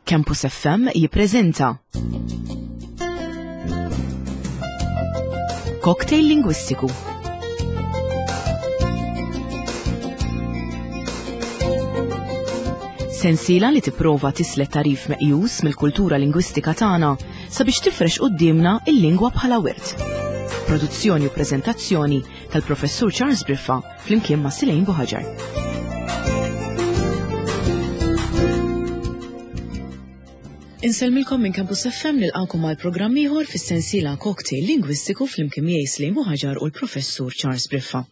Campus FM jippreżenta Cocktail Lingwistiku. Sensiela li tipprova tislet tarif meqjus mill-kultura lingwistika tagħna sabiex tifrex quddiemna il-lingwa bħala wirt. Produzzjoni u preżentazzjoni tal-Professur Charles Briffa flimkien ma' Silejn Buħaġar. Insellmilkom minn Campus FM nilqakom għal programm ieħor fis-sensiela Cocktail Lingwistiku flimkien miegħi Slejn Buħaġar u l-Professur Charles Briffa.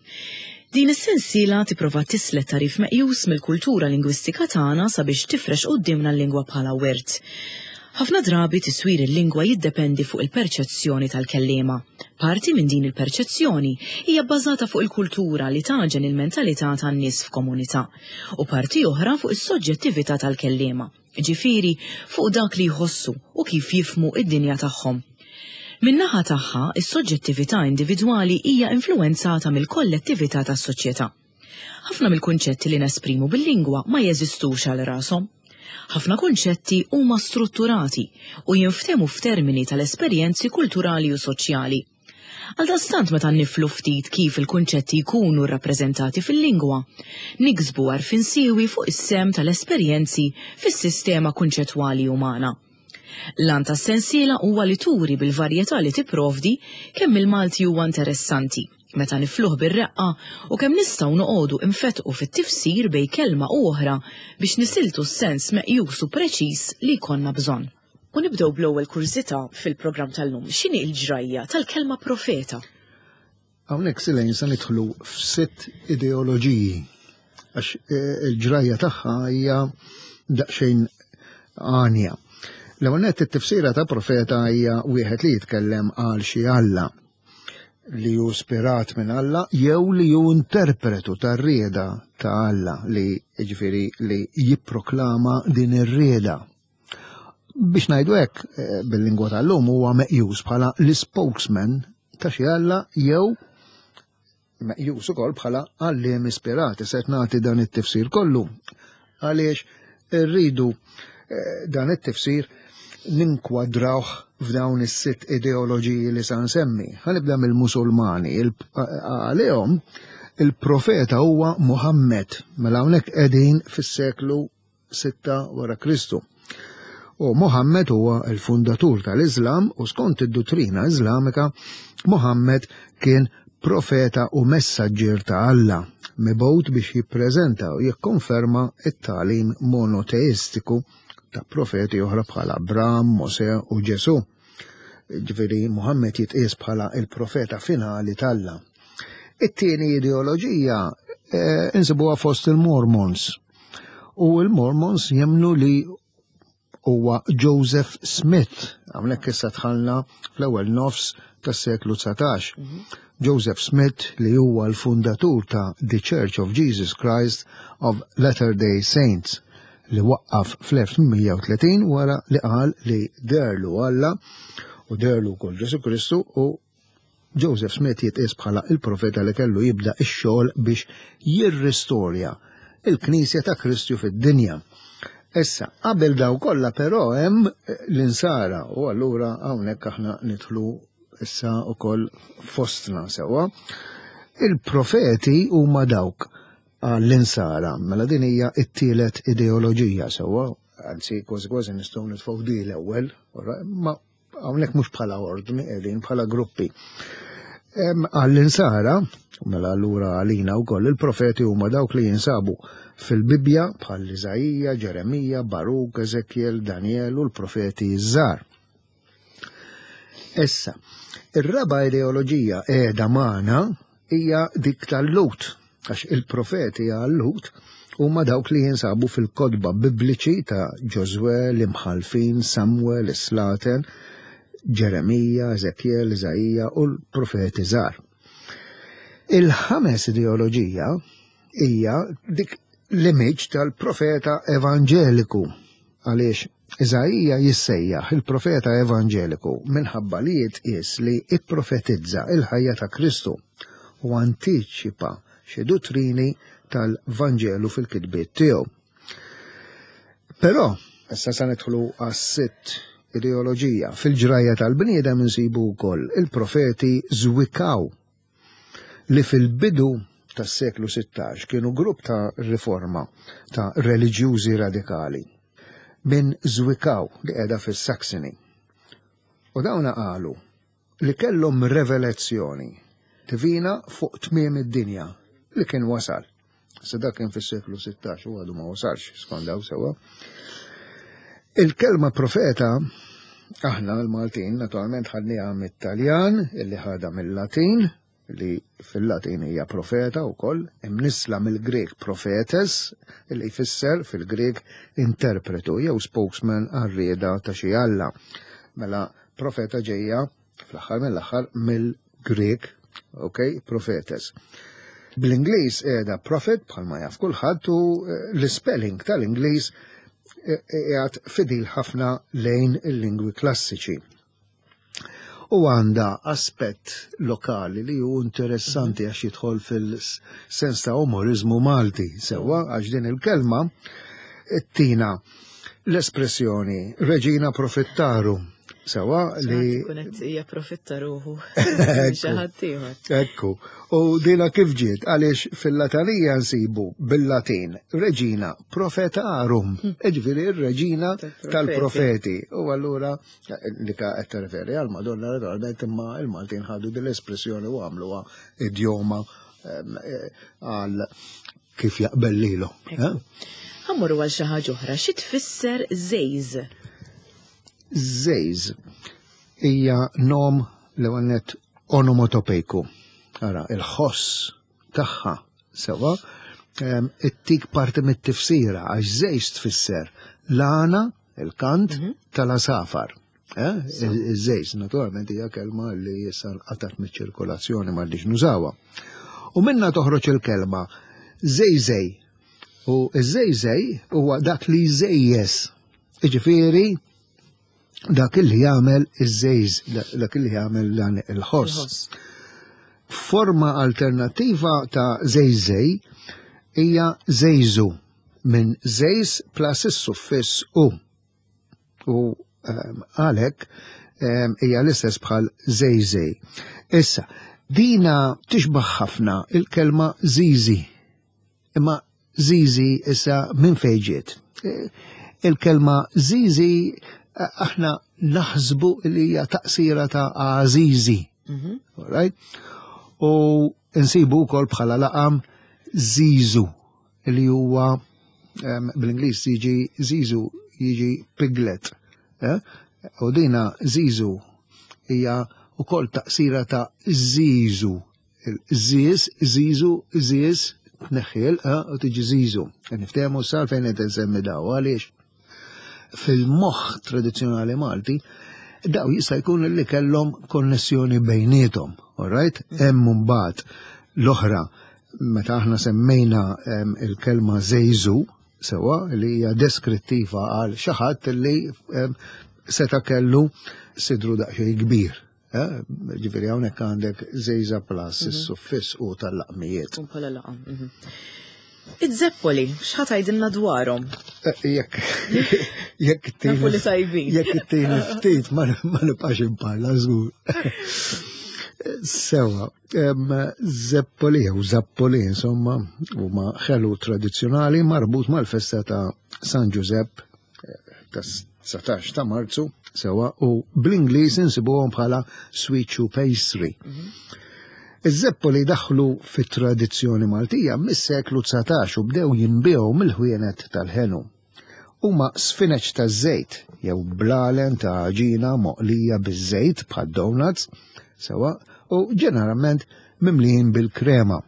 Din is-sensiela tipprova tislet tarif meqjus mill-kultura lingwistika tagħna sabiex tifrex quddiemna l-lingwa bħala wirt. Ħafna drabi tiswir il-lingwa jiddependi fuq il-perċezzjoni tal-kelliema. Parti minn din il-perċezzjoni hija bbażata fuq il-kultura li tagħġen il-mentalità tan-nies f'komunità, u parti oħra fuq is-soġġettività tal-kelliema, jiġifieri fuq dak li jħossu u kif jifhmu d-dinja tagħhom. Min-naħa tagħha, is-soġġettività individwali hija influwenzata mill-kollettività tas-soċjetà. Ħafna mill-kunċetti li nesprimu bil-lingwa ma jeżistux għal rashom. Ħafna kunċetti huma strutturati u jinftehmu f'termini tal-esperjenzi kulturali u soċjali. Għaldaqstant meta niflu ftit kif il-kunċetti jkunu rrappreżentati fil-lingwa, niksbu għarfien siewi fuq is-sehem tal-esperjenzi fis-sistema kunċettwali umana. L-għan tas-sensiela huwa li turi bil-varjetà li tipprovdi kemm il-Malti huwa interessanti meta nifluh bir-reqqa u kemm nistgħu noqogħdu infettqu fit-tifsir bejn kelma u oħra biex nisiltu s-sens meqjus u preċiż li jkollna bżonn. U nibdew bl-ewwel kurżità fil-programm tal-lum. X'inhi l-ġrajja tal-kelma profeta? Hawnhekk Silejn se nidħlu f'sitt ideoloġiji għax eh, il-ġrajja tagħha hija daqsxejn għanja. L-ewwel nett it-tifsira ta' profeta hija wieħed li jitkellem għal xi Alla li hu spirat minn Alla jew li hu interpretu tar-rieda ta' Alla li ġifieri li jipproklama din ir-rieda. Biex ngħidu hekk eh, bil-lingwa tal-lum huwa meqjus bħala l-spokesman ta' xi Alla jew meqjus ukoll bħala għalliem ispirat. Se nagħti dan it-tifsir kollu għaliex irridu eh, dan it-tifsir ninkwadrawh f'dawn is-sitt ideoloġiji li sa nsemmi. Ħanibda mill-Musulmani. Għalihom il-profeta huwa Muhammad, mela hawnhekk qegħdin fis-seklu 6 wara Kristu. U Muhammad huwa l-fundatur tal-Iżlam u skont id-duttrina Iżlamika, Muhammad kien profeta u messaġġier ta' Alla, mibgħut biex jippreżenta u jikkonferma t-tagħlim monoteistiku ta' profeti oħra bħal Abram, Mosè u Ġesù. Ġifieri Muhammad jitqies bħala il-profeta finali t'Alla. It-tieni ideoloġija eh, insibuha fost il-Mormons. U il-Mormons jemnu li huwa Joseph Smith. Hawnhekk issa dħalna fl-ewwel nofs tas-seklu 19. Mhm. Joseph Smith li huwa l-fundatur ta' The Church of Jesus Christ of Latter-day Saints li waqqaf fl-1830 wara li qal li derlu Alla u derlu wkoll Ġesu Kristu u Joseph Smith jitqies bħala il-profeta li kellu jibda x-xogħol biex jirristorja il-Knisja ta' Kristu fid-dinja. Issa, qabel daw kollha però hemm l-insara u allura hawnhekk aħna nidħlu issa wkoll fostna sewwa. Il-profeti huma dawk għall-insara, mela din hija t-tielet ideoloġija sewwa, anzi kważi kważi nistgħu nitfgħu di l-ewwel, ma hawnhekk mhux bħala ordni qegħdin bħala gruppi. Għall-insara, mela allura għalina wkoll il-profeti huma dawk li jinsabu fil-Bibbja bħal Iżaija, Ġeremija, Baruk, Ezekiel, Daniel u l-profeti żgħar. Issa, ir-raba' ideoloġija qiegħda magħna hija dik tal-Lut, għax il-profeti għal-Lut huma dawk li jinsabu fil-kotba bibliċi ta' Ġożwè, l-Imħallfin, Samwel, is-Slaten, Ġeremija, Ezekiel, Iżaija u l-profeti żgħar. Il-ħames ideoloġija hija dik l-image tal-profeta evanġeliku għaliex Iżaija jissejjaħ il-profeta evanġeliku minħabba li jitqies li ipprofetizza il-ħajja ta' Kristu u antiċipa xi duttrini tal-Vanġelu fil-kitbiet tiegħu. Però. Issa sa nidħlu għas-sitt ideoloġija. Fil-ġrajja tal-bniedem insibu wkoll il-profeti Zwikaw li fil-bidu tas-seklu 16 kienu grupp ta' riforma ta' reliġjużi radikali minn Zwikaw li qiegħda fis-Saxony. U dawna qalu li kellhom revelazzjoni divina fuq tmiem id-dinja li kien wasal. Se dak kien fis-seklu 16 u għadu ma wasalx skont daw sewwa. Il-kelma profeta aħna l-Maltin naturalment ħadniha mit-Taljan illi ħadha mill-Latin li fil-Latin hija profeta wkoll, imnissla mill-Grieg prophetes illi jfisser fil-Grieg interpretu jew spokesman għar-rieda ta' xi alla. Mela profeta ġejja fl-aħħar mill-aħħar mill-Grieg, ok, prophetes. Bl-Ingliż qiegħda prophet bħalma jaf kulħadd u eh, l-spelling tal-Ingliż eh, qiegħed fidil ħafna lejn il-lingwi klassiċi. U għandha aspett lokali li hu interessanti għax jidħol fil-sens ta' umorizmu Malti, sewwa għax din il-kelma tina l-espressjoni Reġina Profittaru Sewa li. Kunet japprofitta ruħu. Ekku. U dina kif ġiet għaliex fil-Latanija nsibu bil-Latin Reġina Profetarum, hm. ġifieri r-Reġina tal-Profeti. U allura li ka qed tirreferi għal Madonna naturalment imma il-Maltin ħadu din l-espressjoni u għamluha idjoma eh, għal kif jaqbel lilu. Eh? Ħammurru għal xi ħaġa oħra, xi tfisser żejż? Żejż hija nom l għannet onomatopejku. Ara, il-ħoss tagħha sewa it-tik parti mit-tifsira għax żejż tfisser l-għana, il-kant mhm. tal-asafar. Eh? Iż-żejż naturalment hija kelma li issa nqatat miċ-ċirkolazzjoni m'għandix nużawha. U minna toħroġ il-kelma żejżej. U iż-żejżej huwa dak li jżejjes. Jiġifieri dak li jagħmel iż-żejż, dak li jagħmel dan il-ħoss. Forma alternattiva ta' żejżej hija żejżu minn żejż plus is-suffiss u. U ehm, għalhekk ehm, hija l-istess bħal żejżej. Issa, dina tixbaħ ħafna il-kelma zizi. Imma zizi issa minn fejn ġiet? E, il-kelma zizi eh, aħna naħsbu li hija taqsira ta' għażiżi. Mhm. Right? U nsibu wkoll bħala laqam zizu li huwa bl-Ingliż jiġi zizu jiġi piglet. Eh? U dina zizu hija wkoll taqsira ta' zizu. Ziz, zizu, ziz, tneħħil, eh, u tiġi zizu. Niftehmu sal fejn qed insemmi daw għaliex fil-moħħ tradizzjonali Malti daw jista' jkun li kellhom konnessjoni bejniethom, all right? Mm. Hemm mbagħad l-oħra meta aħna semmejna il-kelma żejżu sewa li hija deskrittiva għal xi ħadd li seta' kellu sidru daqsxejn kbir. Eh, ġifieri hawnhekk għandek żejża plus mhm. is-suffiss u tal-laqmijiet. U bħala laqam. Mhm. Iż-zeppoli, x'ħa tgħidilna dwarhom? Eh, jekk jekk tieni tajbin. Jekk tieni ftit ma nibqax imparla żgur. Sewa, zeppoli jew zappoli insomma huma ħelu tradizzjonali marbut mal-festa ta' San Ġużepp eh, ta' 19 ta' Marzu sewa u bl-Ingliż insibuhom bħala sweet shoe pastry. Mhm. Iż-zeppoli daħlu fit-tradizzjoni Maltija mis-seklu 19 u bdew jinbiegħu mill-ħwienet tal-ħenu. Huma sfineċ taż-żejt jew blalen ta' għaġina moqlija biż-żejt bħad donuts sewa u ġeneralment mimlijin bil-krema.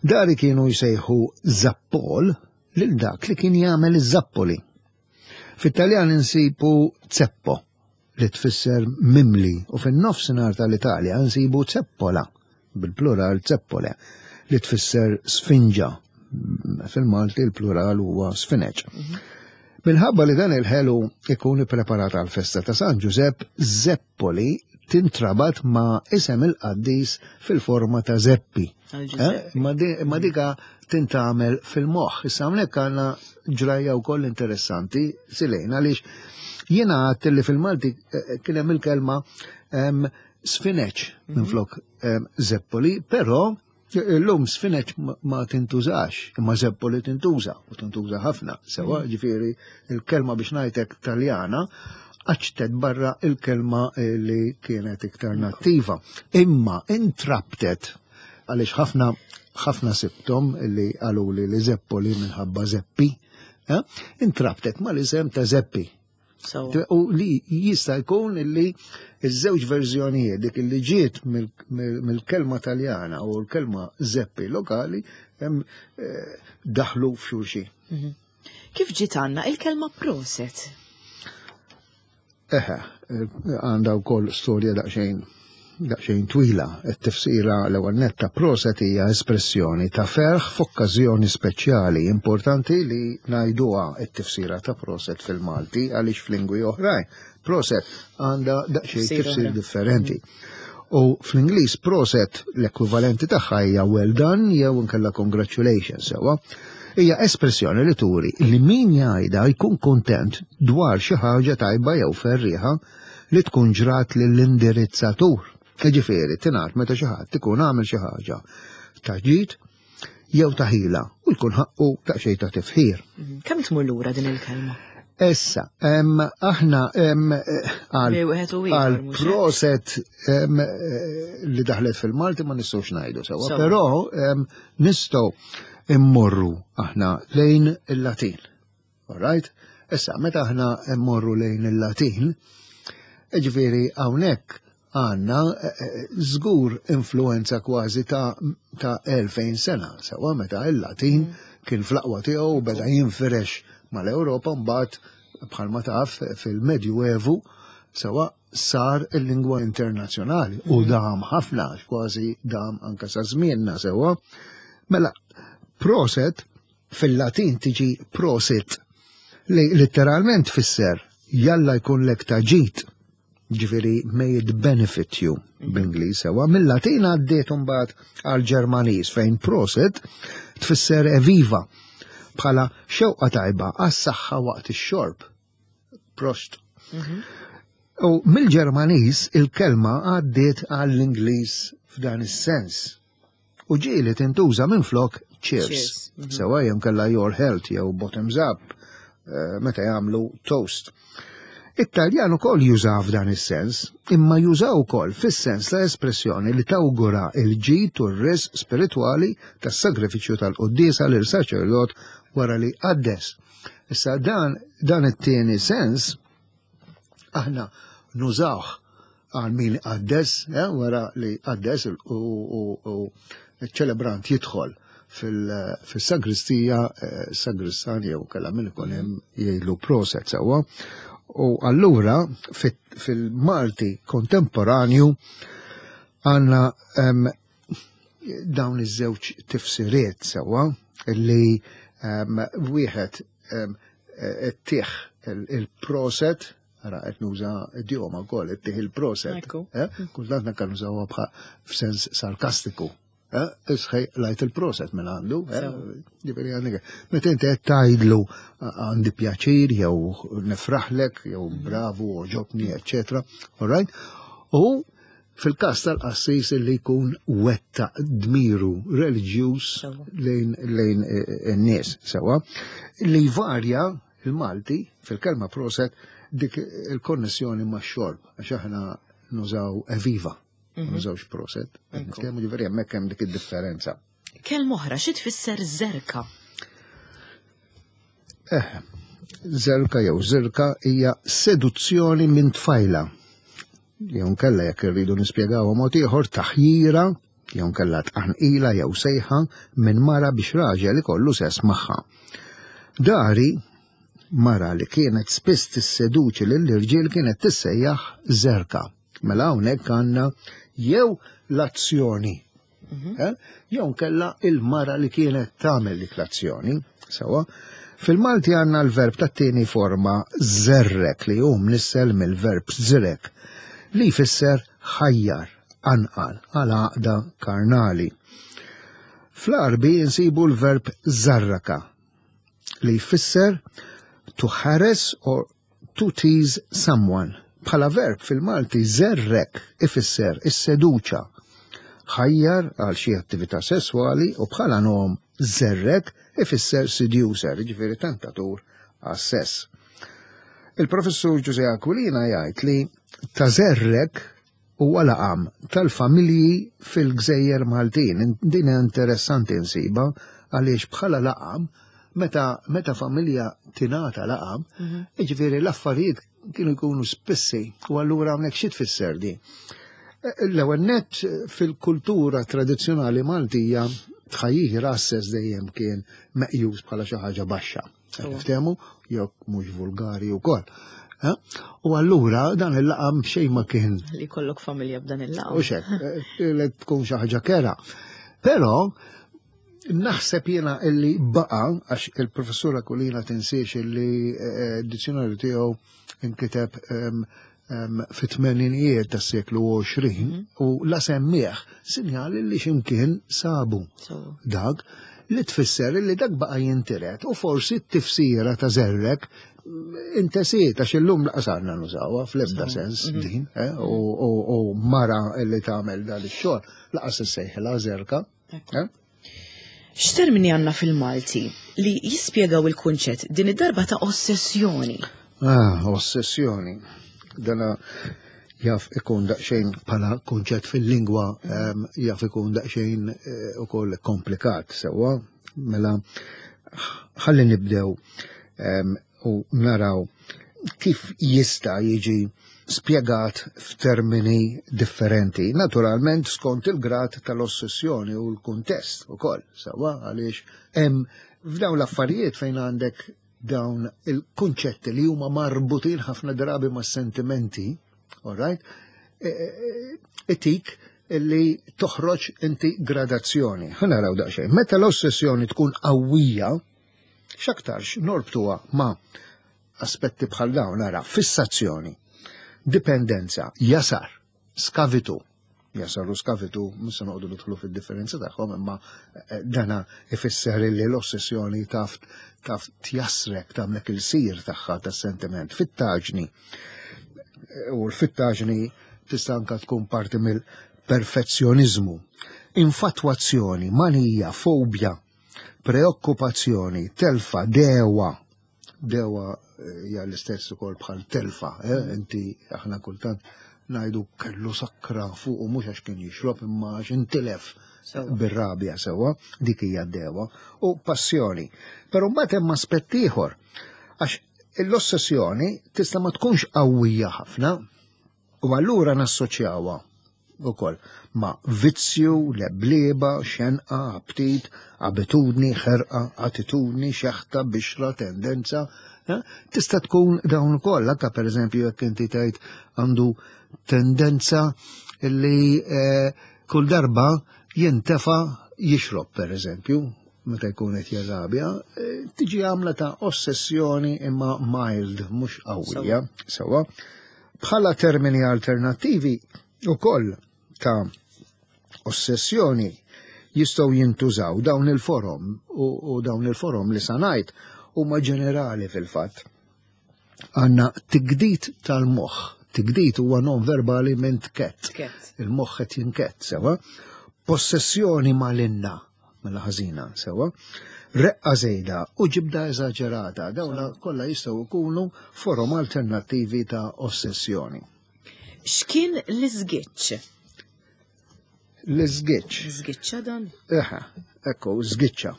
Dari kienu jsejħu zappol lil dak li kien jagħmel iż-zappoli. Fit-Taljan insibu zeppo li tfisser mimli u fin-nofsinhar tal-Italja nsibu zeppola bil-plural zeppole li tfisser sfinġa. Fil-Malti l-plural huwa sfineġ. Mhm. Minħabba li dan il-ħelu ikun ippreparat għal festa ta' San Ġużepp, zeppoli tintrabat ma' isem il-qaddis fil-forma ta' zeppi. Eh? Ma dika. tintgħamel fil-moħħ. Issa hawnhekk għandna ġrajja wkoll interessanti silejn għaliex jiena għadt li fil-Malti eh, kien hemm il-kelma sfineċ mhm. minflok zeppoli, però Illum sfineċ ma tintużax, imma zeppoli tintuża, u tintuża ħafna, sewa, mhm. ġifieri il-kelma biex ngħidlek Taljana għaċtet barra il-kelma li kienet iktar nattiva. Imma intraptet Għaliex ħafna ħafna sibtom li qaluli li Zeppoli minħabba Zeppi, eh, intrabtet mal-isem ta' Zeppi. U li jista' jkun li iż-żewġ verżjonijiet dik li ġiet mill-kelma Taljana u l-kelma Zeppi lokali hemm eh, daħlu f'xulxin. Mhm. Kif ġiet għandna il-kelma proset? Eħe, għandha wkoll storja daqsxejn daqsxejn twila. It-tifsira l-ewwel nett ta' proset hija espressjoni ta' ferħ f'okkażjoni speċjali. Importanti li ngħiduha t-tifsira ta' proset fil-Malti għaliex f'lingwi oħrajn proset għandha daqsxejn tifsir differenti. U fl-Ingliż proset l-ekwivalenti tagħha hija well done jew inkella congratulations sewwa. Hija espressjoni li turi li min jgħidha jkun kuntent dwar xi ħaġa tajba jew ferrieħa li tkun ġrat lill-indirizzatur. Jiġifieri tingħad meta xi ħadd ikun għamel xi ħaġa ta' ġid jew ta' ħila u jkun ħaqqu daqsxejn ta' tifħir. Mhm. Kemm tmur lura din il-kelma? Issa, aħna għal proset eh, li daħlet fil-Malti ma nistgħux ngħidu sewwa, però nistgħu immorru aħna lejn il-Latin. All right? Issa, meta aħna mmorru lejn il-Latin, ġifieri hawnhekk għandna eh, eh, żgur influenza kważi ta' ta' 2000 sena, sewa meta il-Latin mm. kien fl-aqwa tiegħu beda jinfirex mal-Ewropa mbagħad bħalma taf fil-Medjuevu sewa sar il-lingwa internazzjonali u mm. dam ħafna, kważi dam anka sa żmienna sewa. Mela, proset Fil-Latin tiġi prosit, li litteralment tfisser jalla jkunlek ta' ġid, ġifieri may it benefit you bl-Ingliż sewwa. Mill-Latin għaddiet imbagħad għall-Ġermaniż fejn prosit tfisser eviva bħala xewqa tajba għas-saħħa waqt ix-xorb. Prost. Mhm. U mill-Ġermaniż il-kelma għaddiet għall-Ingliż f'dan is-sens. U ġieli tintuża minflok cheers. cheers. Mm -hmm. Sewa jew kella your health jew bottoms up eh, meta jagħmlu toast. It-Taljan ukoll juża f'dan is-sens, imma juża wkoll fis-sens ta' espressjoni li tawgura il-ġid u r-risq spiritwali tas-sagrifiċċju tal-quddiesa lil saċerdot wara li qaddes. Issa dan dan it-tieni sens aħna nużawh għal min qaddes, eh, wara li qaddes u ċ-ċelebrant jidħol fil-sagristija, eh, sagristan jew kella min ikun hemm jgħidlu proset sewwa. U allura fil-Malti kontemporanju għandna dawn iż-żewġ tifsiriet sewwa li wieħed tih il-proset Ara qed nuża idjoma wkoll qed tih il-proset. Eh? Kultant anke nużawha bħal f'sens sarkastiku. Eh? Isħej lajt il-proset minn għandu. Eh? Ġifieri għandek. Meta inti qed tgħidlu għandi pjaċir jew nifraħlek jew mm. bravu oġobni, eċċetera. All right? U fil-każ tal-qassis li jkun wetta dmiru reliġjuż lejn lejn in-nies sewa li varja Il-Malti, fil-kelma proset, dik il-konnessjoni ma' xorb, għax aħna nużaw eviva, ma mhm. nużawx proset. Nitkellmu ġifieri hemmhekk hemm dik id-differenza. Kelma oħra, xi tfisser zerka? Eh, zerka jew zirka hija seduzzjoni minn tfajla. Jew nkella jekk irridu nispjegawha mod ieħor taħjira jew nkella tqanqila jew sejħa minn mara biex raġel ikollu sess magħha. Dari, mara li kienet spiss tisseduċi lill-irġiel kienet tissejjaħ Żerka. Mela hawnhekk għandna jew l-azzjoni mhm. eh, jew nkella il-mara li kienet tagħmel dik l-azzjoni. Sewa, fil-Malti għandna l-verb tat-tieni forma żerrek li hu mnissel mill-verb żrek li jfisser ħajjar, qanqal għal għaqda karnali. Fl-Għarbi nsibu l-verb zarraka li jfisser to harass or to tease someone. Bħala verb fil-Malti żerrek ifisser isseduċa, ħajjar għal xi attività sesswali u bħala nom żerrek ifisser seducer, jiġifieri tentatur għas-sess. Il-professur Ġużè Aquilina jgħid li ta' żerrek huwa laqam tal-familji fil-gżejjer Maltin. Din interessanti nsibha għaliex bħala laqam meta meta familja tingħata laqam, mhm. jiġifieri l-affarijiet kienu jkunu spissi u allura hawnhekk xi tfisser di. L-ewwel nett fil-kultura tradizzjonali Maltija tħajjih rasses dejjem kien meqjus bħala xi ħaġa baxxa. Niftehmu jew mhux vulgari wkoll. Eh? U allura dan il-laqam xejn ma kien. Li kollok familja b'dan il-laqam. U xek, eh, li tkun xi ħaġa kera. Però naħseb jiena illi baqa, għax il-professura Kulina tinsiex illi eh, d-dizzjonarju tiegħu inkiteb ehm, fit-tmeninijiet tas-seklu 20 mhm. u la semmieħ sinjal li ximkien sabu dak li tfisser li dak baqa jintiret u forsi t-tifsira ta' zerrek intesiet għax illum laqas għandna nużawha fl-ebda sens mhm. din eh, u mara li tagħmel dan ix-xogħol laqas issejħilha zerka. Eh? X'termini għandna fil-Malti li jispjegaw il-kunċett din id-darba ta' ossessjoni? Ah, ossessjoni. Dana jaf ikun daqsxejn bħala kunċett fil-lingwa ehm, jaf ikun daqsxejn eh, ukoll komplikat sewwa. Mela ħalli nibdew ehm, u naraw kif jista' jiġi spjegat f'termini differenti. Naturalment skont il-grad tal-ossessjoni u l-kuntest ukoll, sewwa għaliex hemm f'dawn l-affarijiet fejn għandek dawn il-kunċetti li huma marbutin ħafna drabi ma' sentimenti, all right, e, e, e, itik li toħroġ inti gradazzjoni. Ħa naraw daqsxejn. Meta l-ossessjoni tkun qawwija, x'aktarx norbtuha ma' aspetti bħal dawn ara fissazzjoni, dipendenza, jasar, skavitu. Jasar u skavitu, mhux se noqogħdu nidħlu fid-differenza tagħhom, imma eh, dana ifisser li l-ossessjoni taf taf tjassrek tagħmlek il-sir tagħha tas-sentiment fit-taġni. Eh, u l-fittaġni tista' anka tkun parti mill-perfezzjoniżmu. Infatwazzjoni, manija, fobja, preokkupazzjoni, telfa, dewa, Dewa eh, hija l-istess ukoll bħal telfa, eh? inti aħna kultant ngħidu kellu sakra fuq u mhux għax kien jixrob imma għax intilef bir-rabja sewwa, dik hija d-dewa, u passjoni. Però mbagħad hemm aspett ieħor għax l-ossessjoni tista' ma tkunx qawwija ħafna u allura nassoċjawha ukoll ma' vizzju, leblieba, xenqa, aptit, abitudni, ħerqa, attitudni, xeħta, bixra, tendenza. Eh? Tista' tkun dawn ukoll, anke pereżempju jekk inti tgħid għandu tendenza li eh, kull darba jintefa jixrob pereżempju, meta jkun qed jirrabja, eh, tiġi għamla ta' ossessjoni imma mild, mhux qawwija, sewwa. Bħala termini alternattivi ukoll ta' ossessjoni jistgħu jintużaw dawn il-forom u, u dawn il-forom li sanajt huma ġenerali fil-fatt. Għanna tigdit tal-moħħ. Tigdit huwa non verbali minn tkett. Il-moħħ qed jinkett sewa. Possessjoni malinna mela ħażina sewwa, reqqa żejda u ġibda eżaġerata, dawna kollha jistgħu jkunu forom alternattivi ta' ossessjoni. X'kien l-iżgiċċ? L-iżgiċċ. Żgiċċa dan? Eħe, ekku, żgiċċa.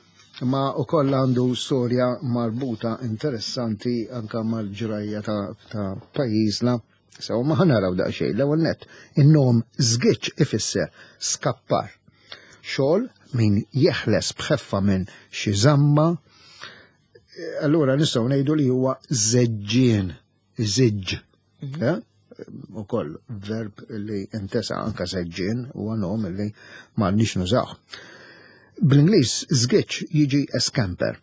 Ma u koll għandu storja marbuta interessanti anka mal-ġrajja ta', ta pajjiżna Sew ma ħanaraw daqsxejn l-ewwel nett. In-nom żgiċ ifisser skappar. Xogħol min jeħles b'ħeffa minn xi żamma. Allura nistgħu ngħidu li huwa żeġġien, iżiġġ. Mhm. Eh? Ukoll verb li intesa anka żeġġien huwa nom li m'għandniex nużaw. Bl-Ingliż żgiċ jiġi escamper.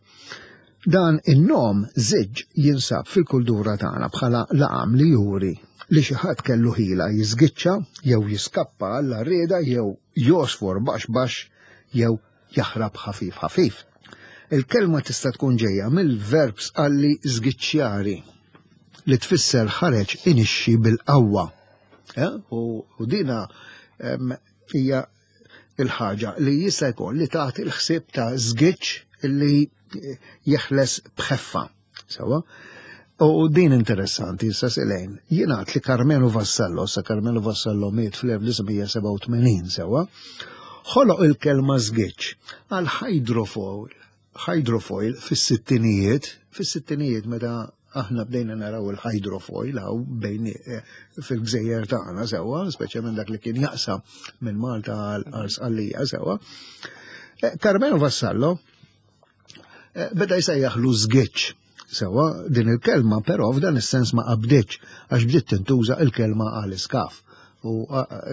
Dan in-nom żiġġ jinsab fil-kultura tagħna bħala laqam li juri li xi ħadd kellu ħila jiżgiċċa jew jiskappa għall-għarrieda jew jogħsfor baxx baxx jew jaħrab ħafif ħafif. Il-kelma tista' tkun ġejja mill-verb sqalli żgiċċjari li tfisser ħareġ inixxi bil-qawwa. Eh? U dina hija il-ħaġa li jista' jkun li tagħti l-ħsieb ta' żgiċċ li jeħles b'ħeffa. Sewa? U din interessanti, issa silejn, jingħad li Carmelo Vassallo, sa Carmelo Vassallo miet fl-1987 sewa, ħoloq il-kelma żgiċ għal hydrofoil, hydrofoil fis-sittinijiet, fis-sittinijiet meta aħna bdejna naraw il-hydrofoil hawn bejn eh, fil-gżejjer tagħna sewwa, speċjalment dak li kien jaqsam minn Malta għal Sqallija sewwa. Eh, Carmelo Vassallo eh, beda jsejjaħlu żgiċ. Sewwa din il-kelma però f'dan is-sens ma qabditx għax bdiet tintuża il-kelma għal iskaf u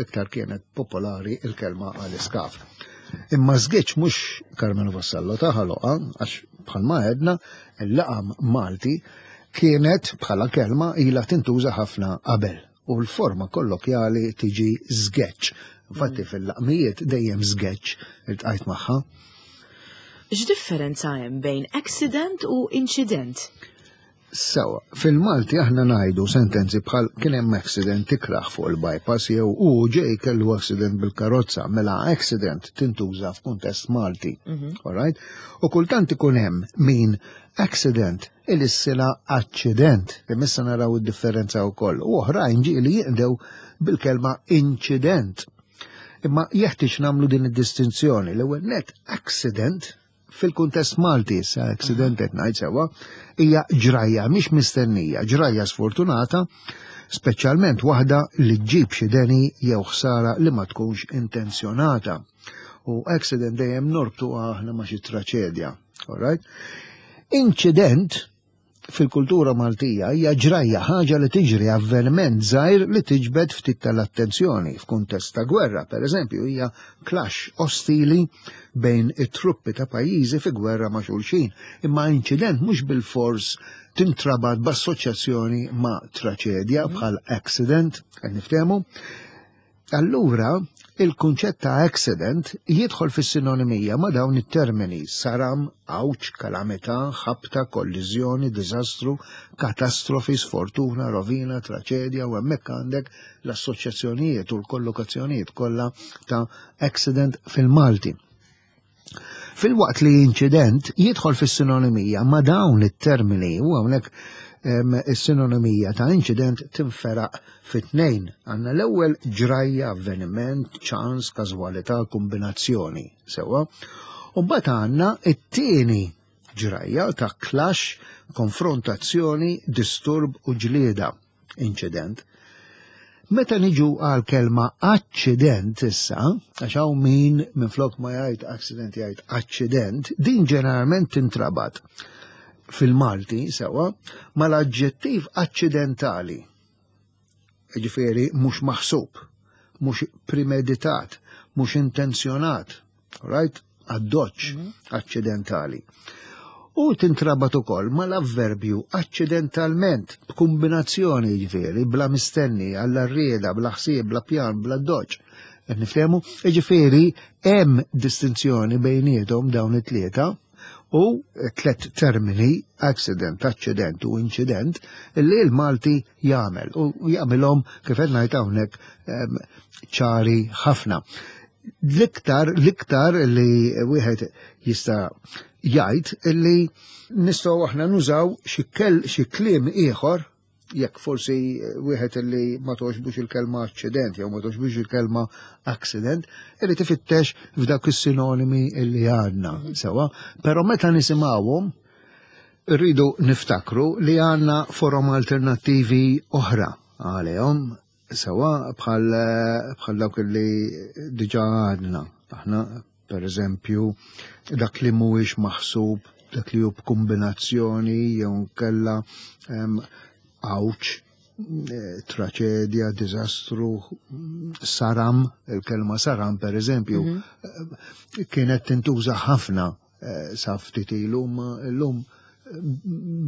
iktar kienet popolari il-kelma għal iskaf. Imma żgiċ mhux Carmelo Vassallo ta' ħaloqa għax bħalma għedna il-laqam Malti kienet bħala kelma ilha tintuża ħafna qabel u l-forma kollokjali tiġi żgeċ. Infatti mm. fil-laqmijiet dejjem żgeċ iltqajt magħha. X'differenza hemm bejn accident u incident? Sewa, fil-Malti aħna ngħidu sentenzi bħal kien hemm accident ikrah fuq il-bypass jew u ġej kellu accident bil-karozza, mela accident tintuża f'kuntest Malti. Mhm. Alright? U kultant ikun hemm min accident ilissila aċċident, imissa naraw id-differenza wkoll. U oħrajn ġieli jinqdew bil-kelma inċident. Imma jeħtieġ nagħmlu din id-distinzjoni l-ewwel net accident fil-kuntest Malti issa accident qed ngħid sewwa, hija ġrajja mhix mistennija, ġrajja sfortunata, speċjalment waħda li ġġib xi deni jew ħsara li ma tkunx intenzjonata. U accident dejjem norbtu aħna ma xi traċedja. All right? Inċident fil-kultura Maltija hija ġrajja ħaġa li tiġri avveniment żgħir li tiġbed ftit tal-attenzjoni f'kuntest ta' gwerra, pereżempju, hija clash ostili bejn it-truppi ta' pajjiżi fi gwerra ma' xulxin. Imma inċident mhux bilfors tintrabat b'assoċjazzjoni ma' traċedja bħal accident, qed niftehmu. Allura, il-kunċett ta' accident jidħol fis-sinonimija ma' dawn it-termini saram, għawġ, kalamità, ħabta, kolliżjoni, diżastru, katastrofi, sfortuna, rovina, traċedja u hemmhekk għandek l-assoċjazzjonijiet u l-kollokazzjonijiet kollha ta' accident fil-Malti. Filwaqt li inċident jidħol fis-sinonimija ma' dawn it-termini u hawnhekk is-sinonimija ta' inċident tinferaq fit-tnejn. Għandna l-ewwel ġrajja, avveniment, ċans, każwalità, kombinazzjoni, sewwa. U mbagħad għandna it-tieni ġrajja ta' clash, konfrontazzjoni, disturb u ġlieda. inċident. Meta niġu għal kelma aċċident issa, għax hawn min minflok ma jgħid accident jgħid aċċident, din ġeneralment tintrabat fil-Malti sewa mal-aġġettiv aċċidentali. Ġifieri mhux maħsub, mhux premeditat, mhux intenzjonat, right? Addoċċ mhm. aċċidentali. U tintrabat ukoll mal-avverbju aċċidentalment b'kombinazzjoni jiġifieri bla mistenni, għall rieda, bla ħsieb, bla pjan, bla doċ. Qed niftehmu? Jiġifieri hemm distinzjoni bejniethom dawn it-tlieta u tlet termini accident, aċċident u inċident li l-Malti jagħmel u jagħmilhom kif qed ngħid hawnhekk ehm, ċari ħafna. L-iktar, l-iktar li wieħed jista' jgħid li nistgħu aħna nużaw xi kliem ieħor jekk forsi wieħed li ma toġbux il-kelma aċċident jew ma toġbux il-kelma accident, irid ifittex f'dawk is-sinonimi li għandna sewa, però meta nisimgħuhom rridu niftakru li għandna forom alternattivi oħra għalihom Sewa bħal bħal dawk li diġà għadna. Aħna per eżempju dak li mhuwiex maħsub, dak li hu b'kombinazzjoni jew nkella għawġ, eh, traċedja, diżastru, saram, il-kelma saram per eżempju, mm -hmm. kienet tintuża ħafna eh, sa ftit ilu, ma llum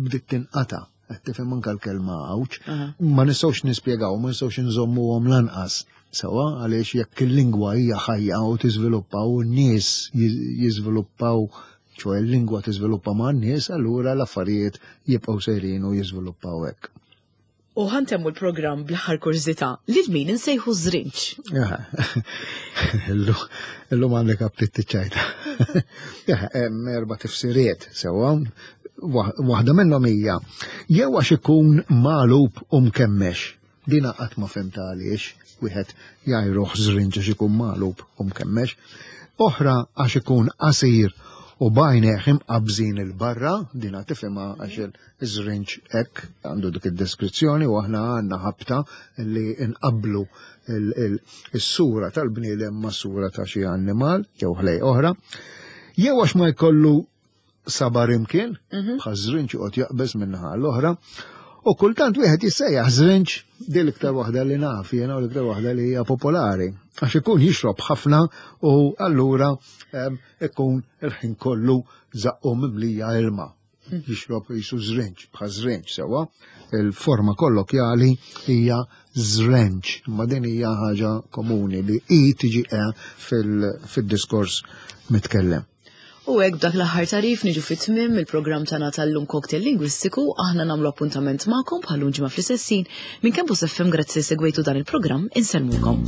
bdiet tinqata'. Qed tifhem anke l-kelma għawġ. Ma nistgħux nispjegaw, ma nistgħux inżommuhom lanqas. Sewa għaliex jekk il-lingwa hija ħajja u tiżviluppa u n-nies jiżviluppaw ċoe l-lingwa tiżviluppa ma' n-nies, allura l-affarijiet jibqgħu sejrin u jiżviluppaw hekk. U ħantemmu l-programm bl-aħħar kurżità lil min insejħu żrinġ. Illum għandek aptit tiċċajta. Hemm erba' tifsiriet sewwa. Waħda minnhom hija jew għax ikun magħlub u mkemmex. Dina qatt ma fhimtha għaliex wieħed jgħajruh żrinġ għax ikun magħlub u mkemmex. Oħra għax ikun qasir u b'għajnejh imqabbżin 'il barra, dina tifhimha għax Iż-żrinġ hekk għandu dik id-deskrizzjoni u aħna għandna ħabta li nqabblu is-sura tal-bniedem ma' sura ta' xi annimal jew ħlej oħra. Jew għax ma jkollu sabar imkien, mhm. bħal żrinġ joqgħod jaqbeż min-naħa l-oħra. U kultant wieħed jissejjaħ żrinġ din l-iktar waħda li naf jiena u l-iktar waħda li hija popolari. Għax ikun jixrob ħafna u allura ikun il-ħin kollu zaqqu mimlija ilma. Jixrob jisu żrinġ, bħal żrinġ sewwa. Il-forma kollokjali hija żrenġ, imma din hija ħaġa komuni li i tiġi e fil-diskors mitkellem. U hekk b'dak l-aħħar tarif niġu fit-tmiem il-programm tagħna tal-lum Cocktail Lingwistiku, aħna nagħmlu appuntament magħkom bħal ġimgħa fl-istess minn Campus FM grazzi segwejtu dan il-programm insellmulkom.